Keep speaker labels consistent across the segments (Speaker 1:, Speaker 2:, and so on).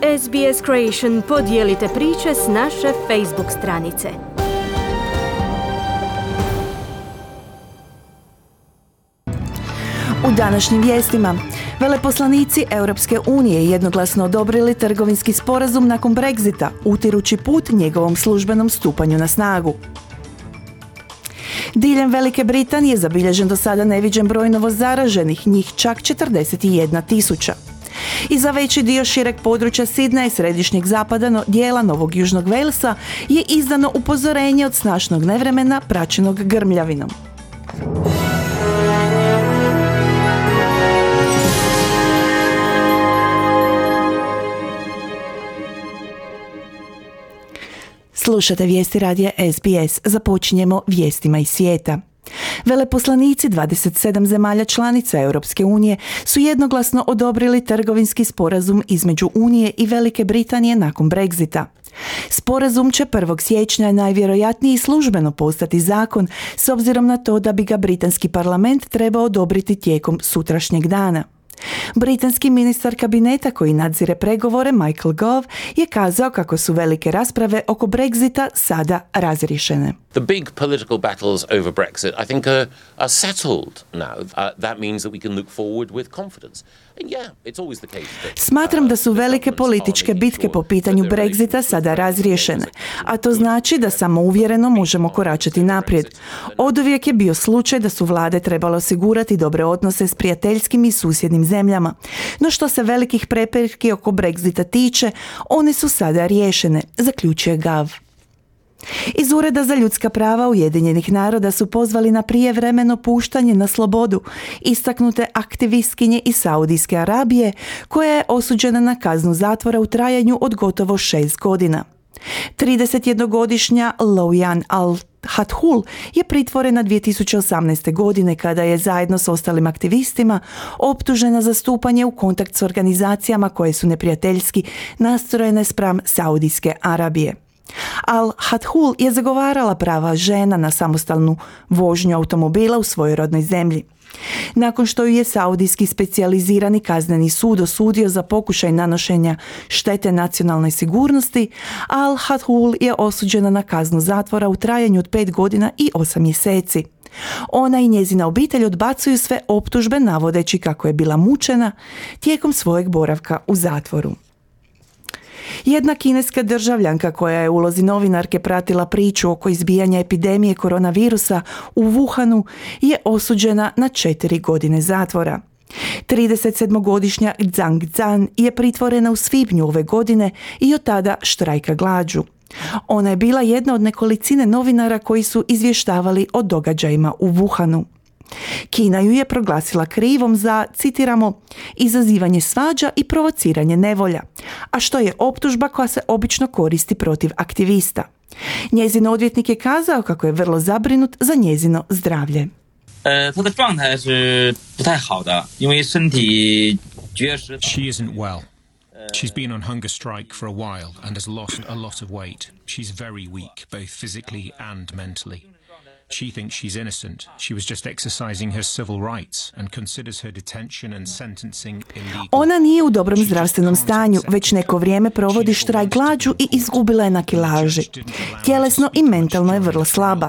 Speaker 1: SBS Creation podijelite priče s naše Facebook stranice.
Speaker 2: U današnjim vijestima, veleposlanici Europske unije jednoglasno odobrili trgovinski sporazum nakon Brexita, utirući put njegovom službenom stupanju na snagu. Diljem Velike Britanije zabilježen do sada neviđen broj novozaraženih, njih čak 41.000. I za veći dio šireg područja Sidneja i središnjeg zapada dijela Novog Južnog Walesa je izdano upozorenje od snažnog nevremena praćenog grmljavinom. Slušate vijesti radija SBS. Započinjemo vijestima iz svijeta. Veleposlanici 27 zemalja članica Europske unije su jednoglasno odobrili trgovinski sporazum između Unije i Velike Britanije nakon Brexita. Sporazum će 1. siječnja najvjerojatnije službeno postati zakon, s obzirom na to da bi ga britanski parlament trebao odobriti tijekom sutrašnjeg dana. Britanski ministar kabineta koji nadzire pregovore Michael Gove je kazao kako su velike rasprave oko Brexita sada razriješene.
Speaker 3: The big political battles over Brexit, I think, are settled now. That means that we can look forward with confidence. And yeah, it's always the case that,
Speaker 2: Smatram da su velike političke bitke po pitanju Brexita sada razriješene, a to znači da samouvjereno možemo koračati naprijed. Oduvijek je bio slučaj da su vlade trebale osigurati dobre odnose s prijateljskim i susjednim zemljama. No što se velikih prepirki oko Brexita tiče, one su sada riješene, zaključuje Gove. Iz Ureda za ljudska prava Ujedinjenih naroda su pozvali na prijevremeno puštanje na slobodu istaknute aktivistkinje iz Saudijske Arabije koja je osuđena na kaznu zatvora u trajanju od gotovo 6 godina. 31-godišnja Loujan Al-Hathul je pritvorena 2018. godine kada je zajedno s ostalim aktivistima optužena za stupanje u kontakt s organizacijama koje su neprijateljski nastrojene spram Saudijske Arabije. Al-Hathul je zagovarala prava žena na samostalnu vožnju automobila u svojoj rodnoj zemlji. Nakon što ju je Saudijski specijalizirani kazneni sud osudio za pokušaj nanošenja štete nacionalnoj sigurnosti, Al-Hathul je osuđena na kaznu zatvora u trajanju od 5 godina i 8 mjeseci. Ona i njezina obitelj odbacuju sve optužbe navodeći kako je bila mučena tijekom svojeg boravka u zatvoru. Jedna kineska državljanka koja je u ulozi novinarke pratila priču oko izbijanja epidemije koronavirusa u Wuhanu je osuđena na 4 godine zatvora. 37-godišnja Zhang Zhan je pritvorena u svibnju ove godine i od tada štrajka glađu. Ona je bila jedna od nekolicine novinara koji su izvještavali o događajima u Wuhanu. Kina ju je proglasila krivom za, citiramo, izazivanje svađa i provociranje nevolja, a što je optužba koja se obično koristi protiv aktivista. Njezin odvjetnik je kazao kako je vrlo zabrinut za njezino zdravlje.
Speaker 4: She isn't well. She's been on hunger strike for a while and has lost a lot of weight. She's very weak, both physically and mentally. She thinks she's innocent. She was just exercising her civil rights and considers her detention and sentencing illegal.
Speaker 2: Ona nije u dobrom zdravstvenom stanju, već neko vrijeme provodi štrajk glađu i izgubila je na kilaži. Tjelesno i mentalno je vrlo slaba.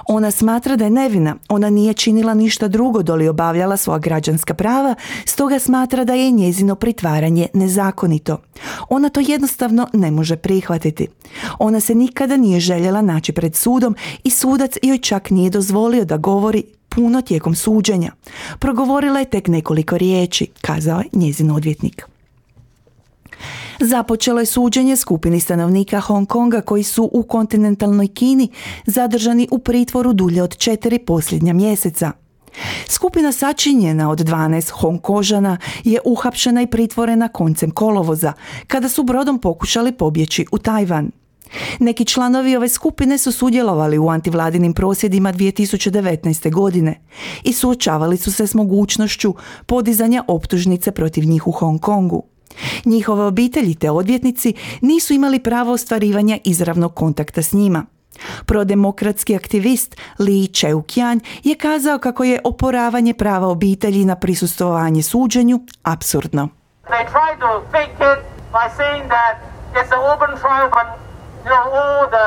Speaker 2: Ona smatra da je nevina. Ona nije činila ništa drugo doli obavljala svoja građanska prava, stoga smatra da je njezino pritvaranje nezakonito. Ona to jednostavno ne može prihvatiti. Ona se nikada nije željela naći pred sudom i sudac joj čak nije dozvolio da govori puno tijekom suđenja. Progovorila je tek nekoliko riječi, kazao je njezin odvjetnik. Započelo je suđenje skupini stanovnika Hong Konga koji su u kontinentalnoj Kini zadržani u pritvoru dulje od 4 posljednja mjeseca. Skupina sačinjena od 12 Hongkožana je uhapšena i pritvorena koncem kolovoza, kada su brodom pokušali pobjeći u Tajvan. Neki članovi ove skupine su sudjelovali u antivladinim prosvjedima 2019. godine i suočavali su se s mogućnošću podizanja optužnice protiv njih u Hong Kongu. Njihove obitelji te odvjetnici nisu imali pravo ostvarivanja izravnog kontakta s njima. Prodemokratski aktivist Li Cheu-kian je kazao kako je oporavanje prava obitelji na prisustvovanje suđenju apsurdno.
Speaker 5: They try to fake it by saying that it's an open trial, but all the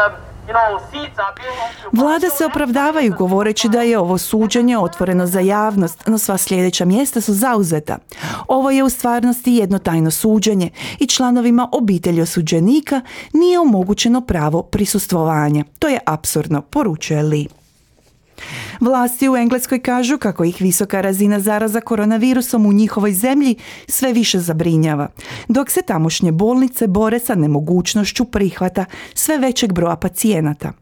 Speaker 5: seats are being occupied.
Speaker 2: Vlada se opravdavaju govoreći da je ovo suđenje otvoreno za javnost, no sva sljedeća mjesta su zauzeta. Ovo je u stvarnosti jedno tajno suđenje i članovima obitelji osuđenika nije omogućeno pravo prisustvovanja. To je apsurdno, poručuje Lee. Vlasti u Engleskoj kažu kako ih visoka razina zaraza koronavirusom u njihovoj zemlji sve više zabrinjava, dok se tamošnje bolnice bore sa nemogućnošću prihvata sve većeg broja pacijenata.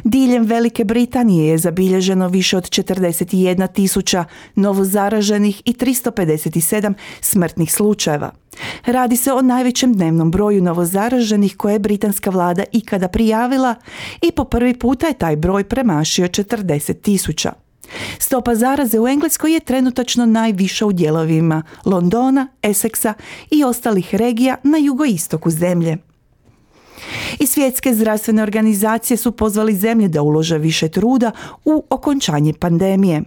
Speaker 2: Diljem Velike Britanije je zabilježeno više od 41.000 novozaraženih i 357 smrtnih slučajeva. Radi se o najvećem dnevnom broju novozaraženih koje je britanska vlada ikada prijavila i po prvi puta je taj broj premašio 40.000. Stopa zaraze u Engleskoj je trenutačno najviša u dijelovima Londona, Essexa i ostalih regija na jugoistoku zemlje. I svjetske zdravstvene organizacije su pozvali zemlje da ulože više truda u okončanje pandemije.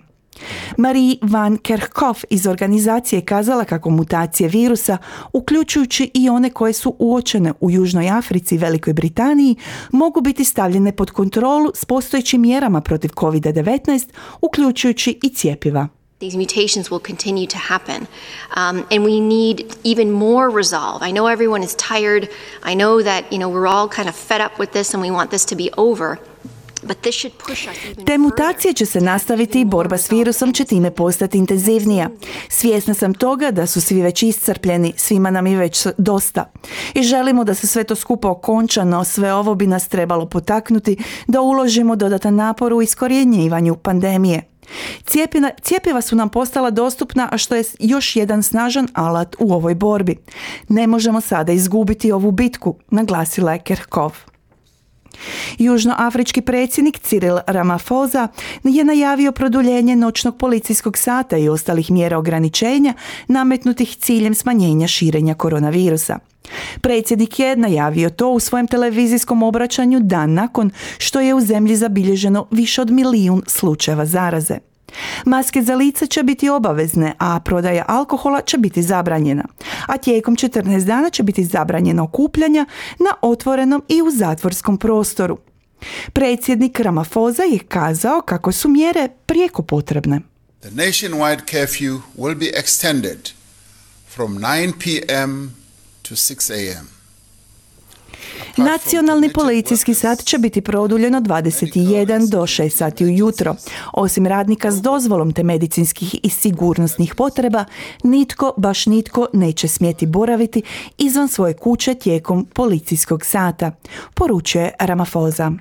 Speaker 2: Marie van Kerkhove iz organizacije je kazala kako mutacije virusa, uključujući i one koje su uočene u Južnoj Africi i Velikoj Britaniji, mogu biti stavljene pod kontrolu s postojećim mjerama protiv COVID-19, uključujući i cjepiva.
Speaker 6: These mutations will continue to happen, and we need even more resolve. I know everyone is tired. I know that, we're all kind of fed up with this and we want this to be over. But this should push us even
Speaker 2: Te mutacije će se nastaviti i borba s virusom će time postati intenzivnija. Svjesna sam toga da su svi već iscrpljeni, svima nam je već dosta. I želimo da se sve to skupa okonča, no sve ovo bi nas trebalo potaknuti da uložimo dodatan napor u iskorjenjivanju pandemije. Cjepiva su nam postala dostupna, a što je još jedan snažan alat u ovoj borbi. Ne možemo sada izgubiti ovu bitku, naglasila je Kerkhove. Južnoafrički predsjednik Cyril Ramaphosa je najavio produljenje noćnog policijskog sata i ostalih mjera ograničenja nametnutih ciljem smanjenja širenja koronavirusa. Predsjednik je najavio to u svojem televizijskom obraćanju dan nakon što je u zemlji zabilježeno više od 1 milijun slučajeva zaraze. Maske za lice će biti obavezne, a prodaja alkohola će biti zabranjena. A tijekom 14 dana će biti zabranjeno okupljanja na otvorenom i u zatvorskom prostoru. Predsjednik Ramaphosa je kazao kako su mjere prijeko potrebne.
Speaker 7: The nationwide curfew will be extended from 9 p.m. to 6 a.m.
Speaker 2: Nacionalni policijski sat će biti produljen od 21 do 6 sati ujutro. Osim radnika s dozvolom te medicinskih i sigurnosnih potreba, baš nitko neće smjeti boraviti izvan svoje kuće tijekom policijskog sata, poručuje Ramaphosa.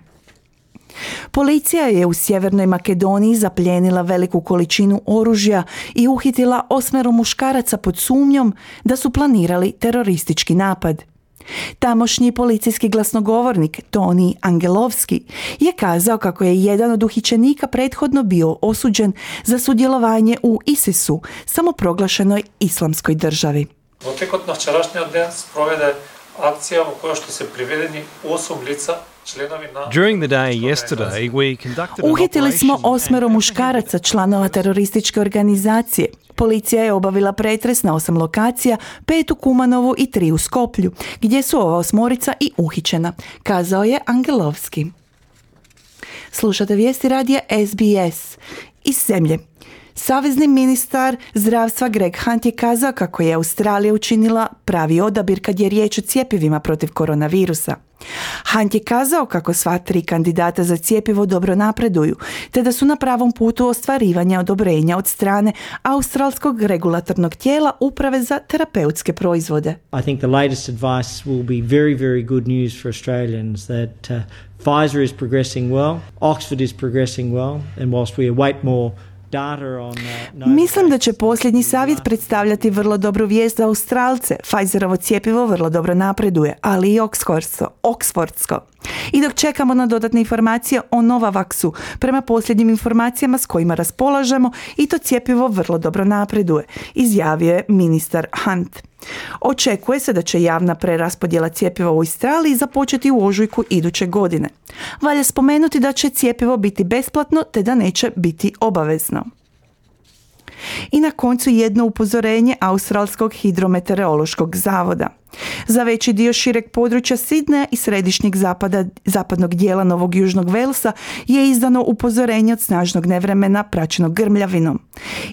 Speaker 2: Policija je u Sjevernoj Makedoniji zaplijenila veliku količinu oružja i uhitila 8 muškaraca pod sumnjom da su planirali teroristički napad. Tamošnji policijski glasnogovornik Toni Angelovski je kazao kako je jedan od uhićenika prethodno bio osuđen za sudjelovanje u ISIS-u, samoproglašenoj islamskoj državi.
Speaker 8: Во текот на вчерашниот ден спроведе акција во која што се приведени 8 лица.
Speaker 9: During the day yesterday, we conducted an
Speaker 2: Uhitili smo
Speaker 9: operation
Speaker 2: 8 muškaraca članova terorističke organizacije. Policija je obavila pretres na 8 lokacija, 5 u Kumanovu i 3 u Skoplju, gdje su ova 8 i uhićena, kazao je Angelovski. Slušate vijesti radija SBS iz zemlje. Savezni ministar zdravstva Greg Hunt je kazao kako je Australija učinila pravi odabir kad je riječ o cjepivima protiv koronavirusa. Hunt je kazao kako sva 3 kandidata za cjepivo dobro napreduju, te da su na pravom putu ostvarivanja odobrenja od strane australskog regulatornog tijela Uprave za terapeutske proizvode.
Speaker 10: I think the latest advice will be very, very good news for Australians that Pfizer is progressing well, Oxford is progressing well, and whilst we await more
Speaker 2: Mislim da će posljednji savjet predstavljati vrlo dobru vijest za Australce. Pfizerovo cjepivo vrlo dobro napreduje, ali i Oxfordsko. I dok čekamo na dodatne informacije o Novavaxu, prema posljednjim informacijama s kojima raspolažemo, i to cjepivo vrlo dobro napreduje, izjavio je ministar Hunt. Očekuje se da će javna preraspodjela cjepiva u Australiji započeti u ožujku iduće godine. Valja spomenuti da će cjepivo biti besplatno te da neće biti obavezno. I na koncu jedno upozorenje Australskog hidrometeorološkog zavoda. Za veći dio šireg područja Sidneja i središnjeg zapadnog dijela Novog Južnog Velsa je izdano upozorenje od snažnog nevremena praćenog grmljavinom.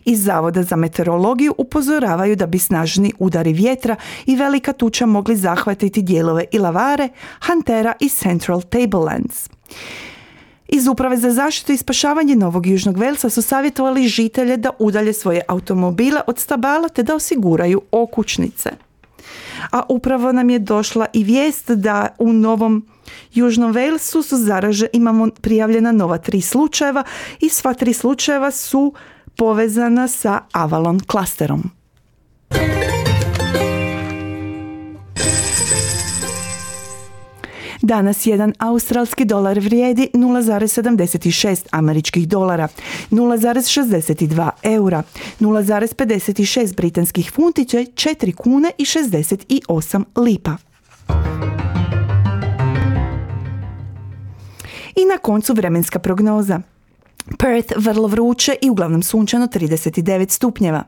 Speaker 2: Iz Zavoda za meteorologiju upozoravaju da bi snažni udari vjetra i velika tuča mogli zahvatiti dijelove Illawarre, Huntera i Central Tablelands. Iz Uprave za zaštitu i spašavanje Novog Južnog Velsa su savjetovali žitelje da udalje svoje automobile od stabala te da osiguraju okućnice. A upravo nam je došla i vijest da u Novom Južnom Velsu imamo prijavljena nova 3 slučajeva i sva 3 slučajeva su povezana sa Avalon klasterom. Danas jedan australski dolar vrijedi 0,76 američkih dolara, 0,62 eura, 0,56 britanskih funti, 4 kune i 68 lipa. I na koncu vremenska prognoza. Perth vrlo vruće i uglavnom sunčano 39 stupnjeva.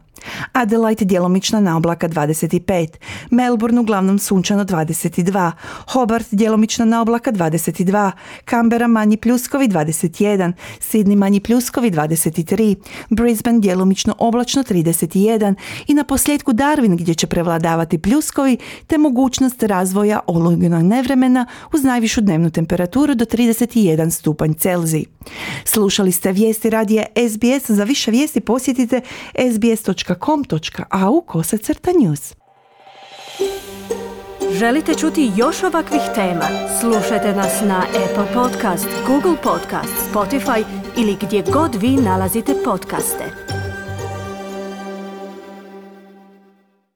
Speaker 2: Adelaide djelomična na oblaka 25, Melbourne uglavnom sunčano 22, Hobart djelomična na oblaka 22, Canberra manji pljuskovi 21, Sydney manji pljuskovi 23, Brisbane djelomično oblačno 31 i na posljedku Darwin gdje će prevladavati pljuskovi te mogućnost razvoja olujnog nevremena uz najvišu dnevnu temperaturu do 31 stupanj Celzij. Slušali ste vijesti radija SBS. Za više vijesti posjetite sbs.com.au/news.
Speaker 1: Želite čuti još ovakvih tema? Slušajte nas na Apple Podcast, Google Podcast, Spotify ili gdje god vi nalazite podcaste.